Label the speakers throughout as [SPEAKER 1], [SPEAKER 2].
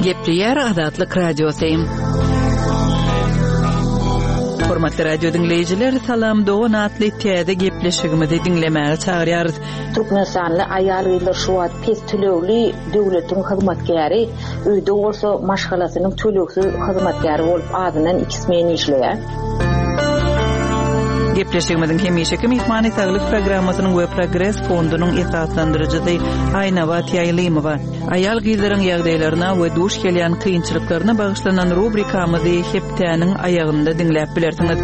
[SPEAKER 1] Gepleýär Azatlyk Radiosy. Hormatly radio diňleýjiler, Salam dogan atly täze gepleşigimizi diňlemäge çagyrýarys.
[SPEAKER 2] Türkmenistanly aýal-gyzlar şu wagt pes tölegli döwletiň hyzmatkäri, öýde bolsa maşgalasynyň tölegsiz hyzmatkäri bolup azyndan iki smen işleýär.
[SPEAKER 1] Gepleşigimiziň hemişeki myhmany Saglyk programmasynyň we Progres fondunyň esaslandyryjysy Aýnabat Ýaýlymowa. Aýal-gyzlaryň ýagdaýlaryna we duş gelýän kynçylyklaryna bagyşlanan rubrikamyzy hepdäniň aýagynda diňläp bilersiňiz.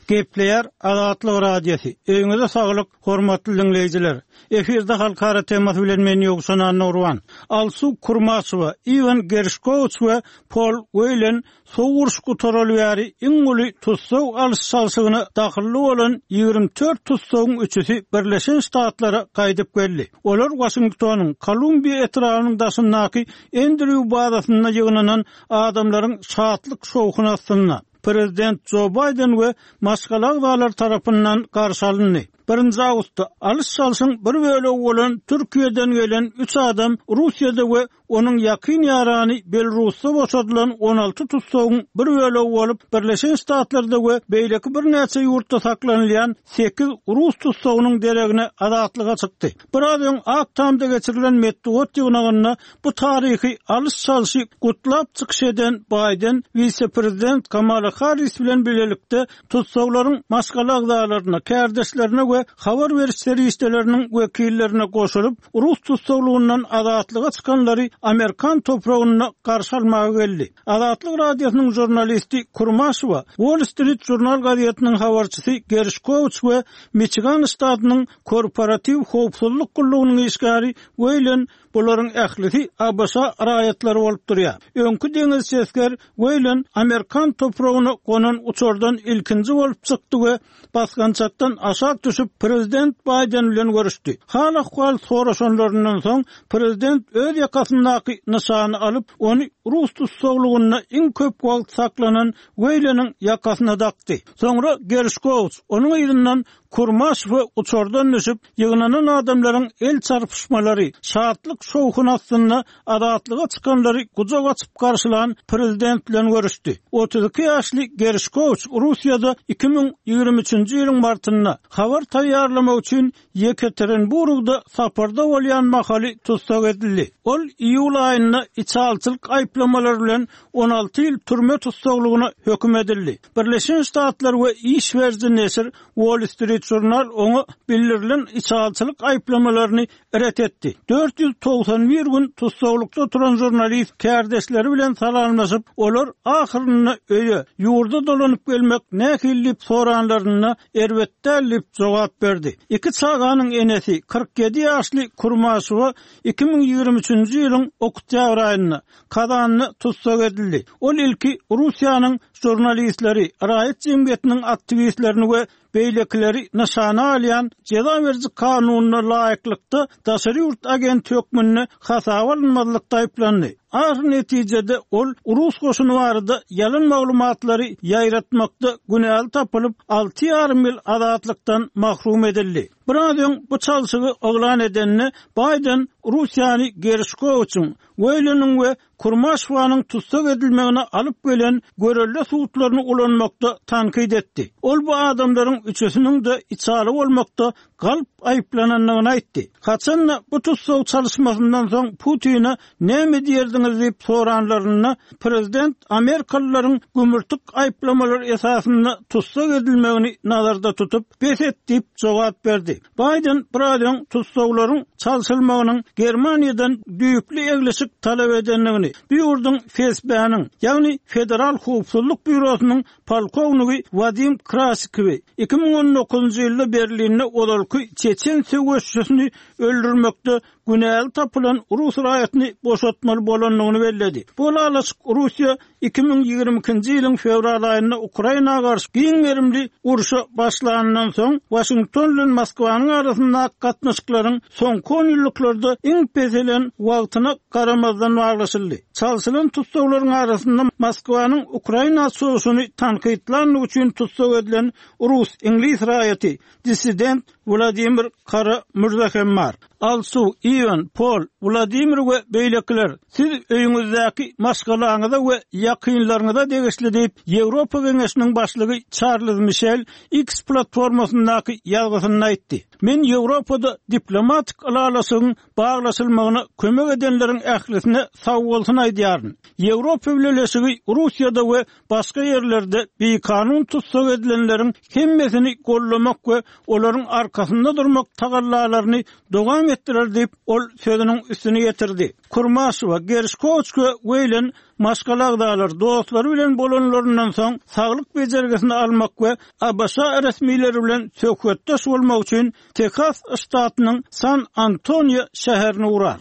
[SPEAKER 3] Gepleýär Azatlyk Radiosy. Öýüňize saglyk, hormatly diňleýjiler! Efirde Halkara temasy bilen men Ýowşan Annagurban. Alsu Kurmaşowa, Iwan Gerşkowiç we Pol Weýlen Sowuk uruş gutaraly bäri iň uly tussag alyş-çalşygyna dahylly bolan 24 tussagyň üçüsi Birleşen Ştatlara gaýdyp geldi. Olar Waşingtonyň Kolumbiýa etrabynyň daşyndaky Endrýu bazasynda ýygnanan adamlaryň şatlyk-şowhuny astynda, prezident Jo Baýden we maşgala agzalary tarapyndan garşy alyndy. Birinji awgustda alyş-çalşyň bir bölegi bolan Türkiýeden gelen üç adam Russiýada we Onuň ýakyn ýarany Belarusda boşadylan 16 tussagyň bir bölegi bolup, Birleşen Ştatlarda we beýleki birnäçe ýurtda saklanylýan sekiz rus tussagynyň deregine azatlyga çykdy. Biraz öň Ak Tamda geçirilen metbugat ýygnagynda bu taryhy alyş-çalşy gutlap çykyş eden Baýden wise-prezident Kamala Harris bilen bilelikde tussaglaryň maşgala agzalaryna, kärdeşlerine we habar beriş serişdeleriniň wekillerine goşulyp, rus tussaglygyndan azatlyga çykanlary amerikan topragynda garşy almaga geldi. Azatlyk Radiosynyň žurnalisti Kurmaşowa, Wall Street Journal gazetiniň habarçysy Gerşkowiç we Miçigan ştatynyň Korporatiw howpsuzlyk gullugynyň işgäri Weýlen Bularyň ählisi ABŞ raýatlary bolup durýar. Öňki deňizçi esger Weýlen amerikan topragyna gonan uçardan ilkinji bolup çykdy we basgançakdan aşak düşüp, prezident Baýden bilen görüşdi. Hal-ahwal soraşanlaryndan soň, prezident öz ýakasyndaky nyşany alyp, ony rus tussaglygynda iň köp wagt saklanan Weýleniň ýakasyna dakdy. Soňra Gerşkowiç, onuň yzyndan Kurmaşew uçardan düşüp, ýygnanan adamlaryň el çarpyşmalary, şatlyk-şowhun astynda azatlyga çykanlary gujak açyp garşylan prezident bilen görüşdi. 32 ýaşly Gerşkowiç Russiýada 2023-nji ýylyň martynda habar taýýarlamak üçin Ýekaterinburgda saparda bolýan mahaly tussag edildi. Ol iýul aýynda içalyçylyk aýyplamalary bilen 16 ýyl türme tussaglygyna höküm edildi. Birleşen Ştatlar we iş beriji neşir Wall Street Journal oňa bildirilen içalyçylyk aýyplamalaryny ret etdi. 491 gün tussaglykda oturan žurnalist kärdeşleri bilen salamlaşyp, olar ahyrynda öýe, ýurda dolanyp gelmek nähili diýip soranlarynda, erbet däl diýip jogap berdi. Iki çaganyň enesi, 47 ýaşly Kurmaşowa 2023-nji ýylyň oktýabr aýynda, Kazanda tussag edildi. Ol ilki Russiýanyň žurnalistleri, raýat jemgyýetiniň aktiwistlerini we beýlekileri nyşana alýan jeza beriji kanunyna laýyklykda daşary ýurt agenti hökmünde hasaba alynmazlykda aýyplandy. Ahyr netijede ol rus goşuny barada ýalan maglumatlary ýaýratmakda günäli tapylyp, alty ýarym ýyl azatlykdan mahrum edildi. Biraz öň bu çalşygy yglan edende, Baýden Russiýany Gerşkowiçiň, Weýleniň we Kurmaşowanyň tussag edilmegine alyp gelen görelde sudlaryny ulanmakda tankyt etdi. Ol bu adamlaryň üçüsiniň-de içaly bolmakda galp aýyplanandygyny aýtdy. Haçan-da bu tussag çalyşmasyndan soň Putine näme diýerdiňiz diýip soranlarynda, prezident amerikalylaryň gümürtik aýyplamalar esasynda tussag edilmegini nazarda tutup, bes et diýip jogap berdi. Baýden biraz öň tussaglaryň çalşylmagynyň Germaniýadan düýpli eglişik talap edendigini, bu ýurduň FSB-niň, ýagny Federal howpsuzlyk býurosynyň polkownigi Wadim Krasikowy 2019-njy ýylda Berlinde ozalky çeçen söweşçisini öldürmekde günäli tapylan rus raýatyny boşatmaly bolandygyny belledi. Bu ylalaşyk Russiýa 2022-nji ýylyň fewral aýynda Ukraina garşy giň gerimli urşa başlanyndan soň, Waşington bilen Moskwanyň arasyndaky gatnaşyklaryň soňky onýyllyklarda iň peselen wagtyna garamazdan baglaşyldy. Çalşylan tussaglaryň arasynda Moskwanyň Ukraina çozuşyny tankytlandygy üçin tussag edilen rus-iňlis raýaty, dissident Wladimir Kara-Mürze hem bar. Alsu, Iwan, Pol, Wladimir we beýlekiler, siz öýüňizdäki maşgalaňyza we ýakynlaryňyza degişli diýip, Ýewropa Geňeşiniň başlygy Çarlz Mişel X platformasyndaky ýazgysynda aýtdy. Men Ýewropada diplomatik ylalaşygyň baglaşylmagyna kömek edenleriň ählisine sagbolsun aýdýaryn. Ýewropa Bileleşigi Russiýada we başga ýerlerde bikanun tussag edilenleriň hemmesini goldamak we olaryň arkasynda durmak tagallalaryny dowam etdirer diýip, ol sözüniň üstüni ýetirdi. Kurmaşewa, Gerşkowiç we Weýlen maşgala agzalary, dostlary bilen bolanlaryndan soň saglyk bejergisini almak we ABŞ resmileri bilen söhbetdeş bolmak üçin Tehas ştatynyň San Antonio şäherine ugrar.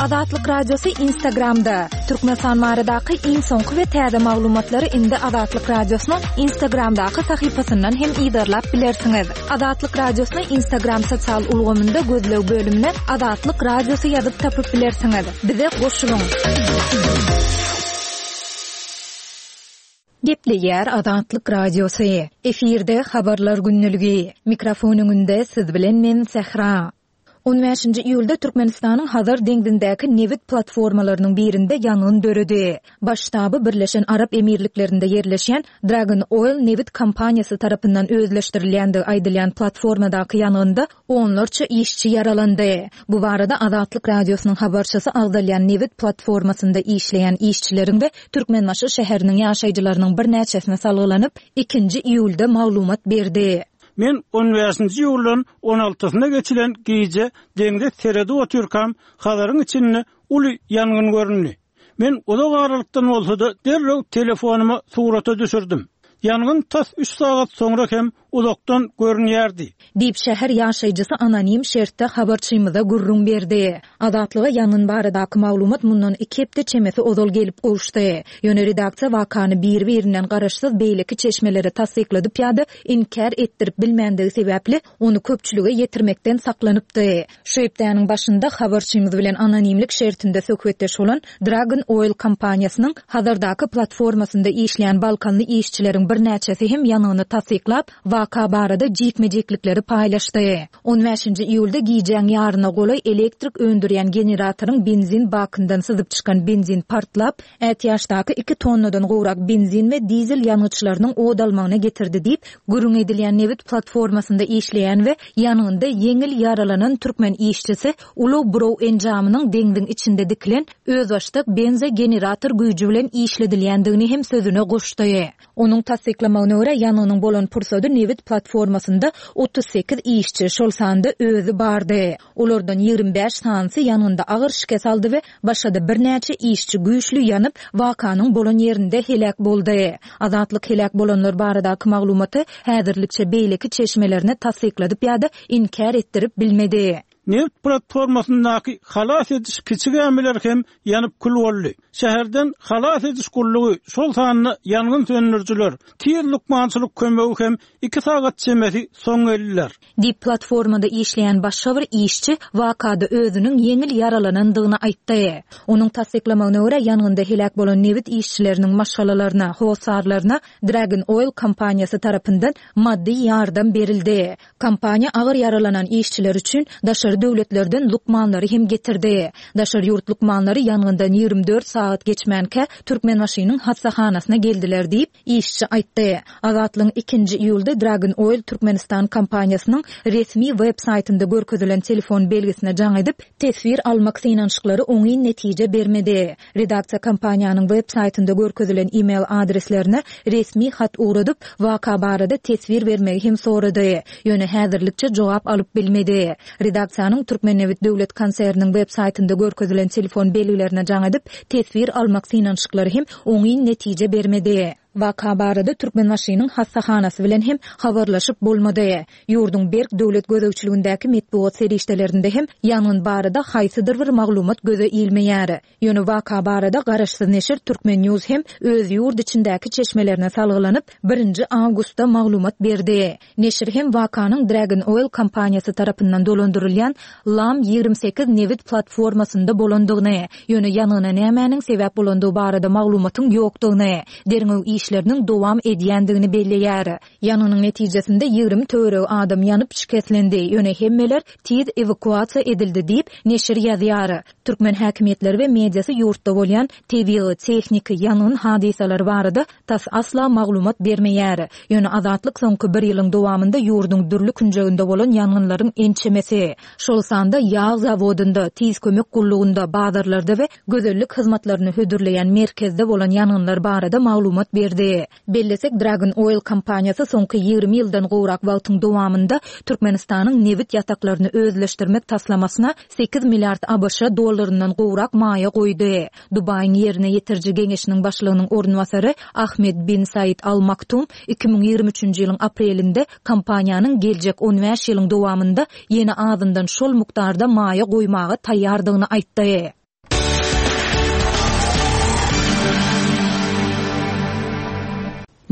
[SPEAKER 4] Azatlyk Radiosy Instagramda, Türkmenistan baradaky iň soňky we täze maglumatlary indi Azatlyk Radiosynyň Instagramdaky sahypasyndan hem yzarlap bilersiňiz. Azatlyk Radiosyny Instagram sosial ulgamynda gözleg bölümine Azatlyk Radiosy ýazyp tapyp bilersiňiz. Bize goşulyň! Gepleýär Azatlyk Radiosy. Efirde Habarlar gündeligi. Mikrofon öňünde siz bilen men Sähra. On bäşinji iýulda Türkmenistanyň Hazar deňzindäki nebit platformalarynyň birinde ýangyn döredi. Baş ştaby Birleşen Arap Emirliklerinde ýerleşýän Dragon Oil nebit kompaniýasy tarapyndan özleşdirilýändigi aýdylýan platformadaky ýangynda Onlarça işçi ýaralandy. Bu barada Azatlyk Radiosynyň habarçysy agzalýan nebit platformasynda işleýän işçileriň we Türkmenbaşy şäheriniň ýaşaýjylarynyň birnäçesine salgylanyp, ikinji iýulda maglumat berdi.
[SPEAKER 3] Men on bäşinji iýuldan on altysyna geçilen gije deňze seredip otyrkam, Hazaryň içinde uly ýangyn göründi. Men uzak aralykdan bolsa-da derrew telefonyma surata düşürdim. Ýangyn tas üç sagat soňra hem uzakdan görünýärdi.
[SPEAKER 4] Diýip, şäher ýaşaýjysy anonim şertde habarçymyza gürrüň berdi. Azatlyga ýangyn baradaky maglumat mundan iki hepde çemesi ozal gelip gowuşdy. Ýöne redaksiýa wakany biri-birinden garaşsyz beýleki çeşmelere tassykladyp ýa-da inkär etdirip bilmändigi sebäpli, ony köpçülige ýetirmekden saklanypdy. Şu hepdäniň başynda habarçymyz bilen anonimlik şertinde söhbetdeş bolan Dragon Oil kompaniýasynyň Hazardaky platformasynda işleýän balkanly işçileriň birnäçesi hem ýangyny tassyklap, waka barada jikme-jiklikleri paýlaşdy. On bäşinji iýulda gijäň ýaryna golaý elektrik öndürýän generatoryň benzin bakyndan syzyp çykan benzin partlap, ätiýaçdaky iki tonnadan gowrak benzin we dizel ýangyçlarynyň ot almagyna getirdi diýip, gürrüň edilýän nebit platformasynda işleýän we ýangynda ýeňil ýaralanan türkmen işçisi ulag buraw enjamynyň deňziň içinde dikilen özbaşdak benzogenerator güýji bilen işledilýändigini hem sözüne goşdy. Onuň tassyklamagyna görä, ýangynyň bolan pursady nebit platformasynda 38 işçi, şol sanda özi bardy. Olardan 25 sanysy ýangynda agyr şikes aldy we başga-da birnäçe işçi güýçli ýanyp, wakanyň bolan ýerinde heläk boldy. Azatlyk heläk bolanlar baradaky maglumaty häzirlikçe beýleki çeşmelerine tassykladyp ýa-da inkär etdirip bilmedi.
[SPEAKER 3] Nebit platformasyndaky halas ediş kiçi gämiler hem ýanyp kül boldy. Şäherden halas ediş gullugy, şol sanda ýangyn söndürijiler, tiz lukmançylyk kömegi hem iki sagat çemesi soň geldiler.
[SPEAKER 4] Diýip, platformada işleýän başga bir işçi wakada özüniň ýeňil ýaralanandygyny aýtdy. Onuň tassyklamagyna görä, ýangynda heläk bolan nebit işçileriniň maşgalalaryna, hossarlaryna Dragon Oil kompaniýasy tarapyndan maddy ýardam berildi. Kompaniýa agyr ýaralanan işçiler üçin daşary döwletlerden lukmanlary hem getirdi. Daşary ýurt lukmanlary ýangyndan 24 sagat geçmänkä Türkmenbaşynyň hassahanasyna geldiler diýip, işçi aýtdy. Azatlygyň ikinji iýulda Dragon Oil Türkmenistan kompaniýasynyň resmi web saýtynda görkezilen telefon belgisine jaň edip, teswir almak synanyşyklary oňyn netije bermedi. Redaksiýa kompaniýanyň web saýtynda görkezilen e-mail adreslerine resmi hat ugradyp, waka barada teswir bermegi hem sorady. Ýöne häzirlikçe jogap alyp bilmedi. Redaksiýanyň Türkmennebit döwlet konserniniň web saýtynda görkezilen telefon belgilerine jaň edip, teswir almak synanyşyklary hem oňyn netije bermedi. Waka barada Türkmenbaşynyň hassahanasy bilen hem habarlaşyp bolmady. Ýurduň berk döwlet gözegçiligindäki metbugat serişdelerinde hem ýangyn barada haýsydyr bir maglumat göze ilmeýär. Ýöne waka barada garaşsyz neşir Turkmen News hem öz ýurt içindäki çeşmelerine salgylanyp, birinji awgustda maglumat berdi. Neşir hem wakanyň Dragon Oil kompaniýasy tarapyndan dolandyrylýan Lam 28 nebit platformasynda bolandygyny, ýöne ýangyna nämäniň sebäp bolandygy barada maglumatyň ýokdugyny, derňew işleriniň. işleriniň dowam edýändigini belleýär. Ýangynyň netijesinde 20 töweregi adam ýanyp şikeslendi, ýöne hemmeler tiz ewakuasiýa edildi diýip, neşir ýazýar. Türkmen häkimiýetleri we mediasy ýurtda bolýan tebigy, tehniki, ýangyn hadysalary barada tas asla maglumat bermeýär. Ýöne Azatlyk soňky bir ýylyň dowamynda ýurduň dürli künjeginde bolan ýangynlaryň ençemesi, şol sanda ýag zawodynda, tiz kömek gullugynda, bazarlarda we gözellik hyzmatlaryny hödürleýän merkezde bolan ýangynlar barada maglumat berdi. Bellesek, Dragon Oil kompaniýasy soňky 20 ýyldan gowrak wagtyň dowamynda Türkmenistanyň nebit ýataklaryny özleşdirmek taslamasyna 8 milliard ABŞ dollaryndan gowrak maýa goýdy. Dubaýyň Ýerine ýetiriji geňeşiniň başlygynyň orunbasary Ahmed bin Said Al Maktum 2023-nji ýylyň aprelinde kompaniýanyň geljek on bäş ýylyň dowamynda ýene azyndan şol mukdarda maýa goýmaga taýýardygyny aýtdy.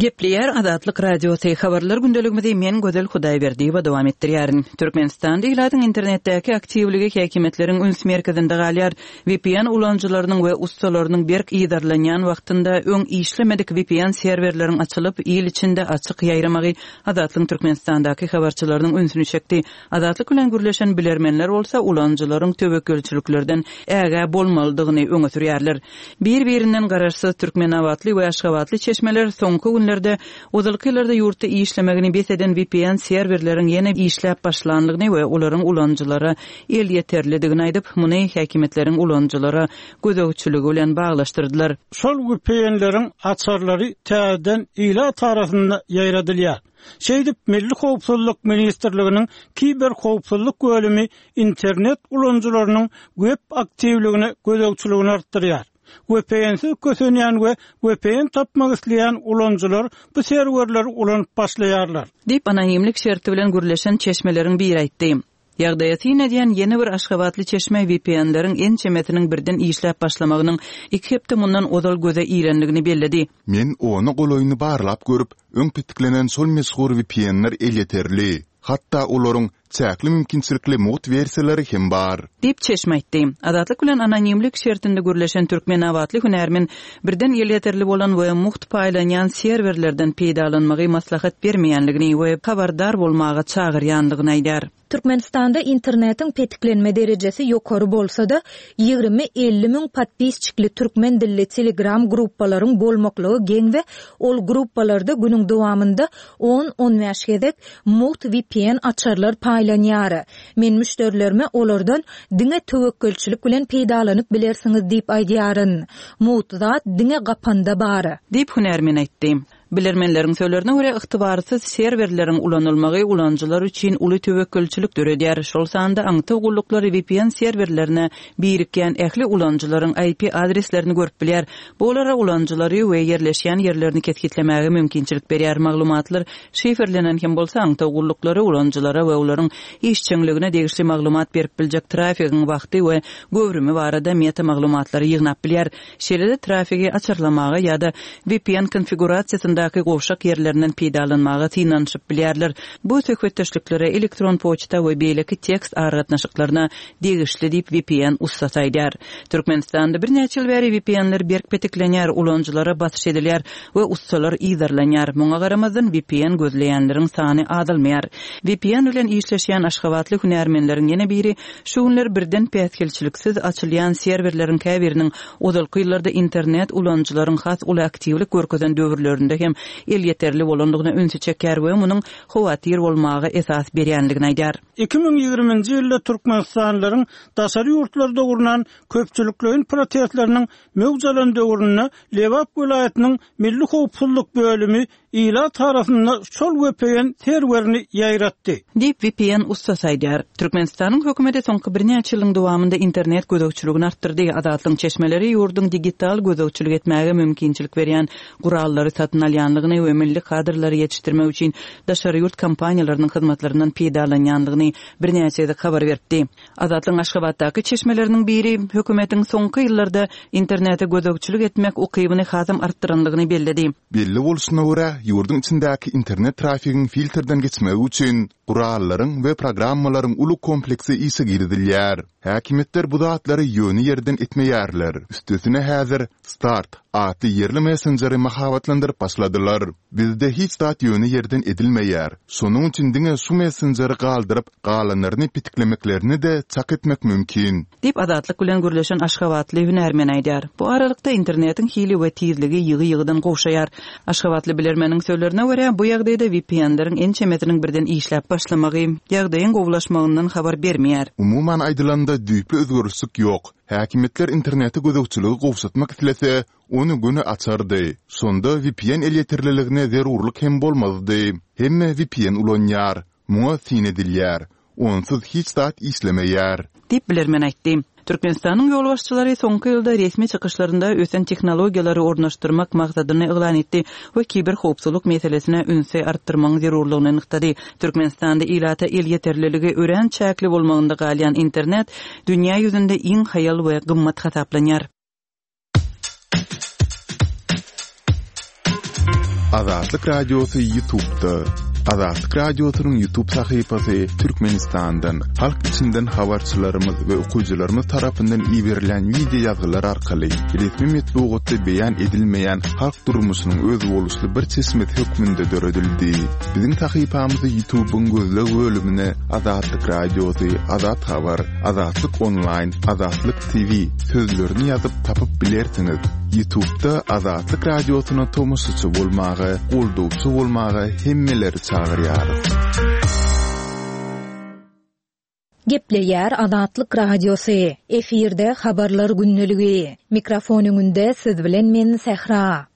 [SPEAKER 1] Gepleýär Azatlyk Radiosy, Habarlar gündeligimizi men Gözel Hudaýberdiýewa dowam etdirýärin. Türkmenistanda ilatyň internetdäki aktiwligi häkimiýetleriň üns merkezinde galýar. VPN ulanyjylarynyň we ussalarynyň berk yzarlanýan wagtynda öň işlemedik VPN serwerleriň açylyp, il içinde açyk ýaýramagy Azatlygyň Türkmenistandaky habarçylarynyň ünsüni çekdi. Azatlyk bilen gürleşen bilermenler bolsa ulanyjylaryň töwekgelçiliklerden ägä bolmalydygyny öňe sürýärler. Bir-birinden garaşsyz türkmenabatly we aşgabatly çeşmeler soňky günlerde ozalky ýyllarda ýurtda işlemegini bes eden vpn serwerleriň ýene işläp başlandygyny we olaryň ulanyjylara elýeterlidigini aýdyp, muny häkimiýetleriň ulanyjylara gözegçiligi bilen baglaşdyrdylar.
[SPEAKER 3] Şol vpn-leriň açarlary täzeden ilat arasynda ýaýradylýar. Şeýdip, Milli howpsuzlyk ministrliginiň kiberhowpsuzlyk bölümi internet ulanyjylarynyň web aktiwligine gözegçiligini artdyrýar. VPN-siz kösenýän we vpn tapmak isleýän ulanyjylar bu serwerleri ulanyp başlaýarlar.
[SPEAKER 1] Diýip, anonimlik şerti bilen gürleşen çeşmeleriň biri aýtdy. Ýagdaýa syn edýän ýene bir aşgabatly çeşme VPN-leriň ençemesiniň birden işläp başlamagynyň iki hepde mundan ozal göze ilendigini belledi.
[SPEAKER 5] Men ona golaýyny barlap görüp, öň petiklenen şol meşhur VPN-ler elýeterli. Hatda olaryň çäkli mümkinçilikli mugt wersiýalary hem bar.
[SPEAKER 1] Diýip, çeşme aýtdy. Azatlyk bilen anonimlik şertinde gürleşen türkmenabatly hünärmen birden elýeterli bolan we mugt paýlanýan serwerlerden peýdalanmagy maslahat bermeýänligini we habardar bolmaga çagyrýanlygyny aýdýar.
[SPEAKER 4] Türkmenistanda internetiň petiklenme derejesi ýokary bolsa-da, 20-50 müň podpisçikli türkmen dilli telegram gruppalaryň bolmaklygy geň we ol gruppalarda günüň dowamynda on-on bäş gezek mugt vpn açarlar paýlanýar. Men müşderilerime olardan diňe töwekgelçilik bilen peýdalanyp bilersiňiz diýip aýdýaryn. Mugt zat diňe gapanda bar.
[SPEAKER 1] Diýip, hünärmen aýtdy. Bilermenleriň sözlerine görä, ygtybarsyz serwerleriň ulanylmagy ulanyjylar üçin uly töwekgelçilik döredýär, şol sanda aňtaw gulluklary vpn serwerlerine birikýän ähli ulanyjylaryň IP adreslerini görüp bilýär. Bu olara ulanyjylary we ýerleşýän ýerlerini kesgitlemäge mümkinçilik berýär. Maglumatlar şifrlenen hem bolsa, aňtaw gulluklary ulanyjylara we olaryň işjeňligine degişli maglumat berip biljek trafigiň wagty we göwrümi barada meta-maglumatlary ýygnap bilýär. Şeýle-de trafigi açarlamaga ýa-da vpn konfigurasiýasyndaky gowşak ýerlerinden peýdalanmaga synanyşyp bilýärler. Bu söhbetdeşliklere, elektron poçta we beýleki tekst aragatnaşyklaryna degişli diýip, vpn ussasy aýdýar. Türkmenistanda birnäçe ýyl bäri VPN-ler berk petiklenýär, ulanyjylara basyş edilýär we ussalar yzarlanýar. Muňa garamazdan, VPN gözleýänleriň sany azalmaýar. VPN bilen işleşýän aşgabatly hünärmenleriň ýene biri şu günler birden päsgelçiliksiz açylýan serwerleriň käbiriniň ozalky ýyllarda internet ulanyjylaryň has uly aktiwlik görkezen döwürlerinde hem elýeterli bolandygyna ünsi çekýär we munuň howatyr bolmaga esas berýändigini aýdýar.
[SPEAKER 3] 2020-nji ýylda türkmenistanlylaryň daşary ýurtlarda gurnan köpçülikleýin protestleriniň möwç alan döwründe Lebap welaýatynyň Milli howpsuzlyk bölümi ilat arasynda şol vpn serwerini ýaýratdy.
[SPEAKER 1] Diýip, vpn ussasy aýdýar. Türkmenistanyň hökümeti soňky birnäçe ýylyň dowamynda internet gözegçiligini artdyrdy. Azatlygyň çeşmeleri ýurduň digital gözegçilik etmäge mümkinçilik berýän gurallary satyn alýandygyny we milli kadrlary ýetişdirmek üçin daşary ýurt kompaniýalarynyň hyzmatlaryndan peýdalanýandygyny birnäçe gezek habar beripdi. Azatlygyň Aşgabatdaky çeşmeleriniň biri hökümetiň soňky ýyllarda internete gözegçilik etmek ukybyny hasam artdyrandygyny belledi.
[SPEAKER 5] Belli bolşuna görä, ýurduň içindäki internet trafigiň filtrden geçmegi üçin gurallaryň we programmalaryň uly kompleksi işe girizilýär. Häkimiýetler bu zatlary ýöne ýerden etmeýärler. Üstesine häzir Start atly ýerli messenjeri mahabatlandyryp başladylar. Bizde hiç zat ýöne ýerden edilmeýär. Şonuň üçin diňe şu messenjeri galdyryp, galanlaryny petiklemeklerini-de çak etmek mümkin.
[SPEAKER 1] Diýip, Azatlyk bilen gürleşen aşgabatly hünärmen aýdýar. Bu aralykda, internetiň hili we tizligi ýygy-ýygydan gowşaýar. Aşgabatly bilermeniň sözlerine görä, bu ýagdaýda VPN-leriň ençemesiniň birden işläp başlamagy, ýagdaýyň gowulaşmagyndan habar bermeýär.
[SPEAKER 5] Umuman aýdylanda, düýpli özgerişlik ýok. Häkimiýetler internete gözegçiligi gowşatmak islese, ony göni açardy. Şonda VPN elýeterliligine zerurlyk hem bolmazdy. Hemme VPN ulanýar. Muňa syn edilýär. Onsuz hiç zat işlemeýär.
[SPEAKER 1] Diýip, bilermen aýtdy. Türkmenistanyň ýolbaşçylary soňky ýylda resmi çykyşlarynda ösen tehnologiýalary ornaşdyrmak maksadyny yglan etdi we kiberhowpsuzlyk meselesine ünsi artdyrmagyň zerurlygyny nygtady. Türkmenistanda ilata elýeterliligi örän çäkli bolmagynda galýan internet dünýä ýüzünde iň haýal we gymmat hasaplanýar.
[SPEAKER 5] Azatlyk Radiosy YouTube'da. Azatlyk Radiosynyň YouTube sahypasy Türkmenistandan, halk içinden habarçylarymyz we okyjylarymyz tarapyndan iberilen wideo ýazgylar arkaly resmi metbugatda beýan edilmeýän halk durmuşynyň özboluşly bir çeşmesi hökmünde döredildi. Biziň sahypamyzy YouTube'yň gözleg bölümine Azatlyk Radiosy, Azat Habar, Azatlyk Onlaýn, Azatlyk TV sözlerini ýazyp tapyp bilersiňiz. Ýutubda Azatlyk Radiosyna tomaşaçy bolmaga, goldawçy bolmaga hemmeleri çagyrýarys.
[SPEAKER 4] Gepleýär Azatlyk Radiosy, efirde Habarlar gündeligi. Mikrofon öňünde siz bilen men Sähra.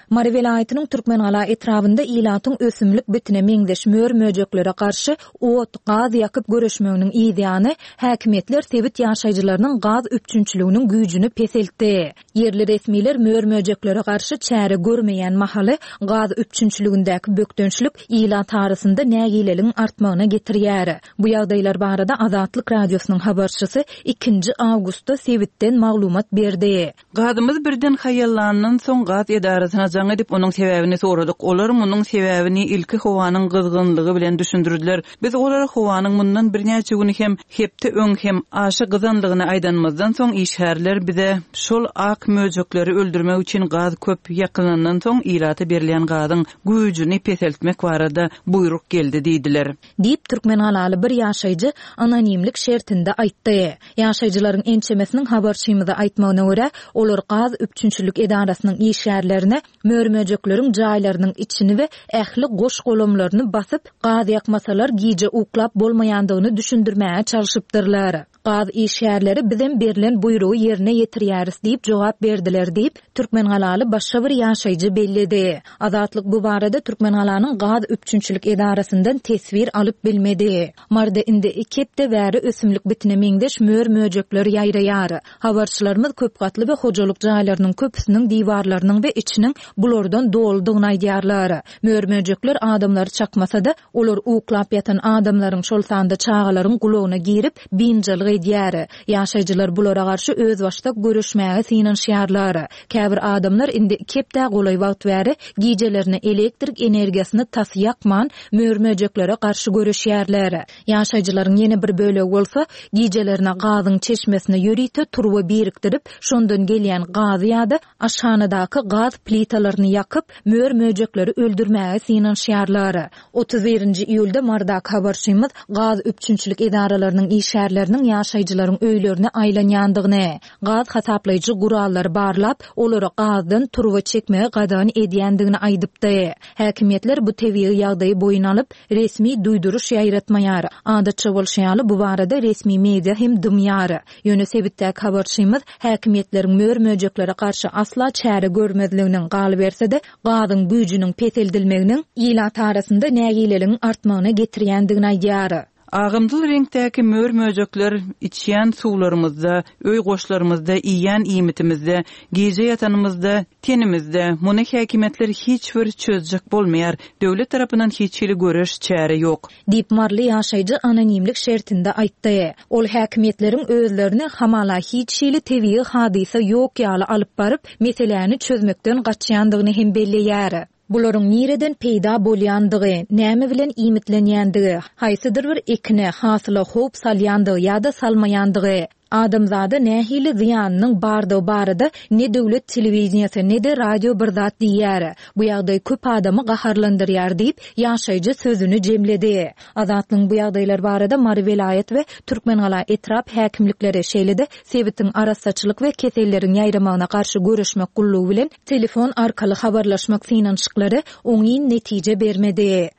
[SPEAKER 4] Mary welaýatynyň Türkmengala etrabynda ilatyň ösümlik bitine meňzeş mör-möjeklere garşy ot, gaz ýakyp göreşmeginiň yzýany, häkimiýetler sebit ýaşaýjylarynyň gaz üpjünçiliginiň güýjüni peseltdi. Ýerli resmiler mör-möjeklere garşy çäre görmeýän mahaly, gaz üpjünçiligindäki bökdençlik ilat arasynda nägileligiň artmagyna getirýär. Bu ýagdaýlar barada Azatlyk Radiosynyň habarçysy ikinji awgustda sebitden maglumat berdi.
[SPEAKER 1] Gazymyz birden haýallandan soň gaz edarasyna jaň edip, onuň sebäbini soradyk. Olar munuň sebäbini ilki howanyň gyzgynlygy bilen düşündirdiler. Biz olara howanyň mundan birnäçe gün hem, hepde öň hem aşa gyzanlygyny aýdanymyzdan soň, işgärler bize şol ak möjekleri öldürmek üçin gaz köp ýakylandan soň ilata berilýän gazyň güýjüni peseltmek barada buýruk geldi diýdiler.
[SPEAKER 4] Diýip, türkmengalaly bir ýaşaýjy anonimlik şertinde aýtdy. Ýaşaýjylaryň ençemesiniň habarçymyza aýtmagyna görä, olar gaz üpjünçilik edarasynyň işgärlerine mör-möjekleriň jaýlarynyň içini we ähli goş-golamlaryny basyp, gaz ýakmasalar gije uklap bolmaýandygyny düşündirmäge çalşypdyrlar. Gaz işgärleri bizem berlen buýrugy ýerine ýetirýäris diýip jogap berdiler diýip, türkmengalaly başga bir ýaşaýjy belledi. Azatlyk bu barada Türkmengalanyň gaz üpjünçilik edarasyndan teswir alyp bilmedi. Maryda indi iki hepde bäri ösümlik bitine meňzeş mör-möjekler ýaýraýar. Habarçylarymyz köp gatly we hojalyk jaýlarynyň köpüsiniň diwarlarynyň we içiniň bulardan doludygyny aýdýarlar. Mör-möjekler adamlary çakmasa-da, Olar uklap ýatan adamlaryň, şol sanda çagalaryň gulagyna girip, biynjalyk edýär. Ýaşaýjylar bulara garşy özbaşdak göreşmäge synanyşýarlar. Käbir adamlar indi iki hepdä golaý wagt bäri gijelerine elektrik energiýasyny tas ýakman, mör-möjeklere garşy göreşýärler. Ýaşaýjylaryň ýene bir bölegi bolsa, gijelerine gazyň çeşmesine ýörite turba birikdirip, şondan gelýän gazy ýa-da Aşhanadaky gaz plitalaryny ýakyp, mör-möjekleri öldürmäge synanyşýarlar. 31-nji iýulda Marydaky habarçymyz gaz üpjünçilik edaralarynyň işgärleriniň ýaşaýjylaryň öýlerine aýlanýandygyny, gaz hasaplaýjy gurallary barlap, olara gazdan turba çekmegi gadagan edýändigini aýdypdy. Häkimiýetler bu tebigy ýagdaýy boýun alyp, resmi duýduryş ýaýratmaýar. Adatça bolşy ýaly, bu barada resmi media hem dymýar. Ýöne sebitdäki habarçymyz häkimiýetleriň mör-möjeklere garşy asla çäre görmezliginiň, galyberse-de, gazyň güýjüniň peseldilmeginiň ilat arasynda nägileligiň artmagyna getirýändigini aýdýar.
[SPEAKER 1] Agymtyl reňkdäki mör-möjekler içýän suwlarymyzda, öý goşlarymyzda, iýýän iýmitimizde, gije ýatanymyzda, Tenimizde, muny häkimiýetler hiç bir çözjek bolmaýar. Döwlet tarapyndan hiç hili göreş, çäre ýok.
[SPEAKER 4] Diýip, maryly ýaşaýjy anonimlik şertinde aýtdy. Ol häkimiýetleriň özlerini hamala hiç hili tebigy hadysa ýok ýaly alyp baryp, meseläni çözmekden gaçýandygyny hem belleýär. Bularyň nireden peýda bolýandygy, näme bilen iýmitlenýändigi, haýsydyr bir ekine, hasyla howp salýandygy ýa-da salmaýandygy. Adamzada nähili zyýanynyň bardygy barada ne döwlet telewideniýesi, ne-de radio bir zat diýýär. Bu ýagdaý köp adamy gaharlandyrýar diýip, ýaşaýjy sözüni jemledi. Azatlygyň bu ýagdaýlar barada Mary welaýat we Türkmengala etrap häkimlikleri, şeýle-de sebitiň arassaçylyk we keselleriň ýaýramagyna garşy göreşmek gullugy bilen telefon arkaly habarlaşmak synanyşyklary oňyn netije bermedi.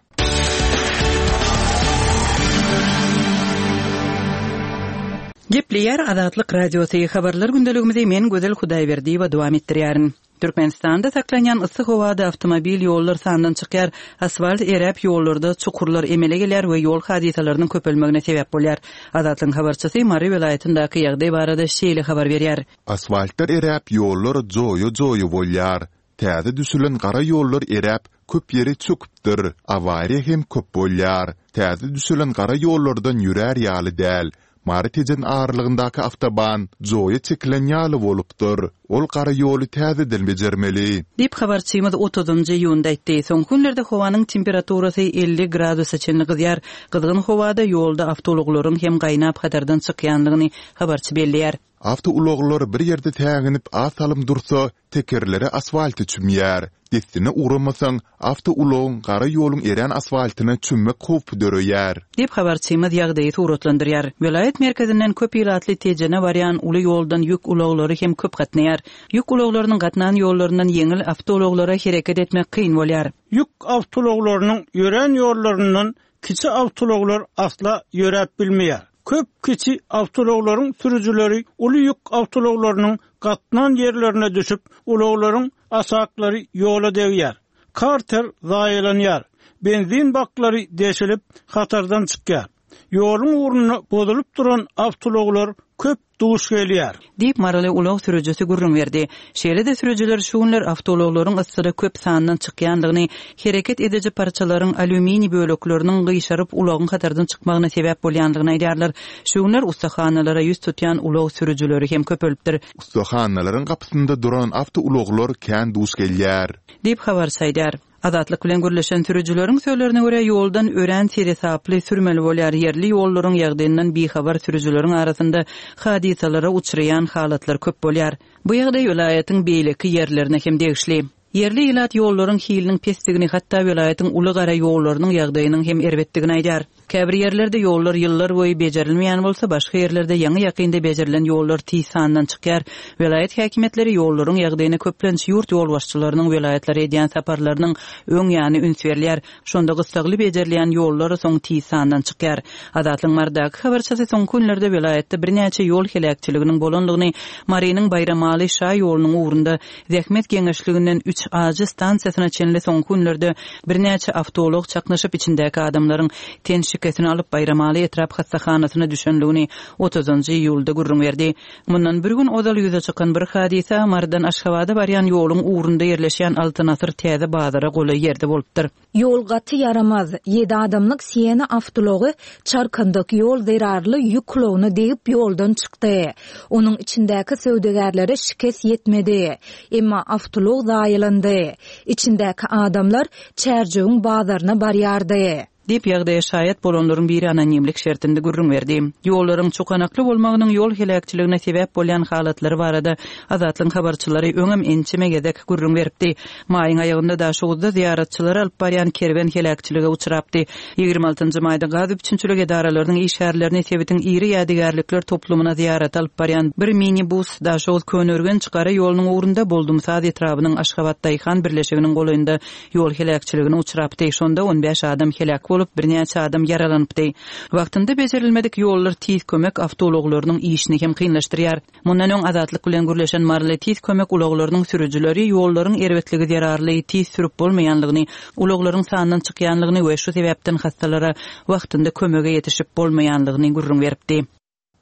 [SPEAKER 1] Gepleýär Azatlyk Radiosy, Habarlar gündeligimizi men Gözel Hudaýberdiýewa dowam etdirýärin. Türkmenistanda saklanýan yssy howada awtomobil ýollar sandan çykýar, asfalt eräp ýollarda çukurlar emele gelýär we ýol hadysalarynyň köpelmegine sebäp bolýar. Azatlygyň habarçysy Mary welaýatyndaky ýagdaý barada şeýle habar berýär.
[SPEAKER 5] Asfaltlar eräp ýollar joýa-joýa bolýar. Täze düşülen gara ýollar eräp, köp ýeri çöküpdir. Awariýa hem köp bolýar. Täze düşülen gara ýollardan ýörär ýaly däl. Mary-Tejen aralygyndaky awtoban joýa çekilen ýaly bolupdyr. Ol gara ýoly täzeden bejermeli.
[SPEAKER 1] Diýip, habarçymyz otuzynjy iýunda aýtdy. Soňky günlerde howanyň temperaturasy 50 gradusa çenli gyzýar. Gyzgyn howada ýolda awtoulaglaryň hem gaýnap hatardan çykýandygyny habarçy belleýär.
[SPEAKER 5] Awtoulaglar bir ýerde säginip az salym dursa, tekerleri asfalta çümýär. Dessine ugramasaň, awtoulagyň gara ýoluň erän asfaltyna çümmek howpy döreýär.
[SPEAKER 1] Diýip, habarçymyz ýagdaýy suratlandyrýar. Welaýat merkezinden köp ilatly Tejene barýan uly ýoldan ýük ulaglary hem köp gatnaýar. Ýük ulaglarynyň gatnan ýollaryndan ýeňil awtoulaglara hereket etmek kyn bolýar.
[SPEAKER 3] Ýük awtoulaglarynyň ýörän ýollaryndan Kiçi awtoulaglar asla ýöräp bilmeýär. Köp kiçi awtoulaglaryň sürüjileri uly ýük awtoulaglarynyň gatnan ýerlerine düşüp, ulaglaryň aşaklary ýola degýär. Karter zaýalanýar. Benzin baklary deşilip, hatardan çykýar. Ýoluň ugrunda bozulyp duran awtoulaglar köp duş gelýär.
[SPEAKER 1] Diýip, maryly ulag sürüjisi gürrüň berdi. Şeýle-de sürüjiler şu günler awtoulaglaryň yssyda köp sandan çykýandygyny, hereket ediji parçalaryň alýuminiý bölekleriniň gyşaryp ulagyň hatardan çykmagyna sebäp bolýandygyny aýdýarlar. Şu günler ussahanalara ýüz tutýan ulag sürüjileri hem köpelipdir.
[SPEAKER 5] Ussahanalaryň gapysynda duran awtoulaglar kän duş gelýär.
[SPEAKER 1] Diýip, habarçy aýdýar. Azatlyk bilen gürleşen sürüjileriň sözlerine görä, ýoldan örän seresaply sürmeli bolýar, ýerli ýollaryň ýagdaýyndan bihabar sürüjileriň arasynda hadysalara uçraýan halatlar köp bolýar. Bu ýagdaý welaýatyň beýleki ýerlerine hem degişli. Ýerli ilat ýollaryň hiliniň pesdigini, hatda welaýatyň uly gara ýollarynyň ýagdaýynyň hem erbetdigini aýdýar. Käbir ýerlerde ýollar ýyllar boýu bejerilmeýän bolsa, başga ýerlerde ýaňy-ýakynda bejerilen ýollar tiz sandan çykýar. Welaýat häkimiýetleri ýollaryň ýagdaýyna köplenç ýurt ýolbaşçylarynyň welaýatlara edýän saparlarynyň öň ýany üns berilýär. Şonda gyssagly bejerilýän ýollar soň tiz sandan çykýar. Azatlygyň Marydaky habarçysy soňky günlerde welaýatda birnäçe ýol heläkçiliginiň bolandygyny, Marynyň Baýramaly şa ýolunyň ugrunda Zähmet geňeşliginden üç ajy stansiýasyna çenli soňky günlerde birnäçe awtoulag çaknyşyp içindäki adamlaryň ten şikesini alyp Baýramaly etrap hassahanasyna düşenligini otuzynjy iýulda gürrüň berdi. Mundan bir gün ozal ýüze çykan bir hadysa Marydan Aşgabada barýan ýoluň ugrunda ýerleşýän Altyn asyr täze bazara golaý ýerde bolupdyr.
[SPEAKER 4] Ýol gaty ýaramaz. Ýedi adamlyk Siena awtoulagy çarkandak ýol zerarly ýük ulagyna degip ýoldan çykdy. Onuň içindäki söwdagärlere şikes ýetmedi. Emma awtoulag zaýalandy. Içindäki adamlar Çärjewiň bazaryna barýardy.
[SPEAKER 1] Diýip, ýagdaýa şaýat bolanlaryň biri anonimlik şertinde gürrüň berdi. Ýollaryň çukanakly bolmagynyň ýol heläkçiligine sebäp bolýan halatlary barada Azatlygyň habarçylary öňem ençeme gezek gürrüň beripdi. Maýyň aýagynda Daşoguzda zyýaratçylary alyp barýan kerwen heläkçilige uçrapdy. 26 nji maýda gaz üpjünçilik edaralarynyň işgärlerini sebitiň iri ýadygärlikler toplumyna zyýarata alyp barýan bir minibus Daşoguz-Köneürgenç gara ýolunyň ugrunda Boldumsaz etrabynyň Aşgabat daýhan birleşiginiň golaýynda ýol heläkçiligine uçrapdy. Şonda on bäş adam heläk bolup, birnäçe adam ýaralanypdy. Wagtynda bejerilmedik ýollar tiz kömek awtoulaglarynyň işini hem kynlaşdyrýar. Mundan öň Azatlyk bilen gürleşen maryly tiz kömek ulaglarynyň sürüjileri ýollaryň erbetligi zerarly tiz sürüp bolmaýanlygyny, ulaglaryň sandan çykýanlygyny we şu sebäpden hassalara wagtynda kömege ýetişip bolmaýanlygyny gürrüň beripdi.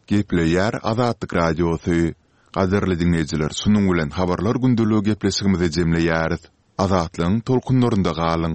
[SPEAKER 5] Gepleýär Azatlyk Radiosy. Gadyrly diňleýjiler şunuň bilen habarlar gündeligi gepleşigimizi jemleýäris. Azatlygyň tolkunlarynda galyň.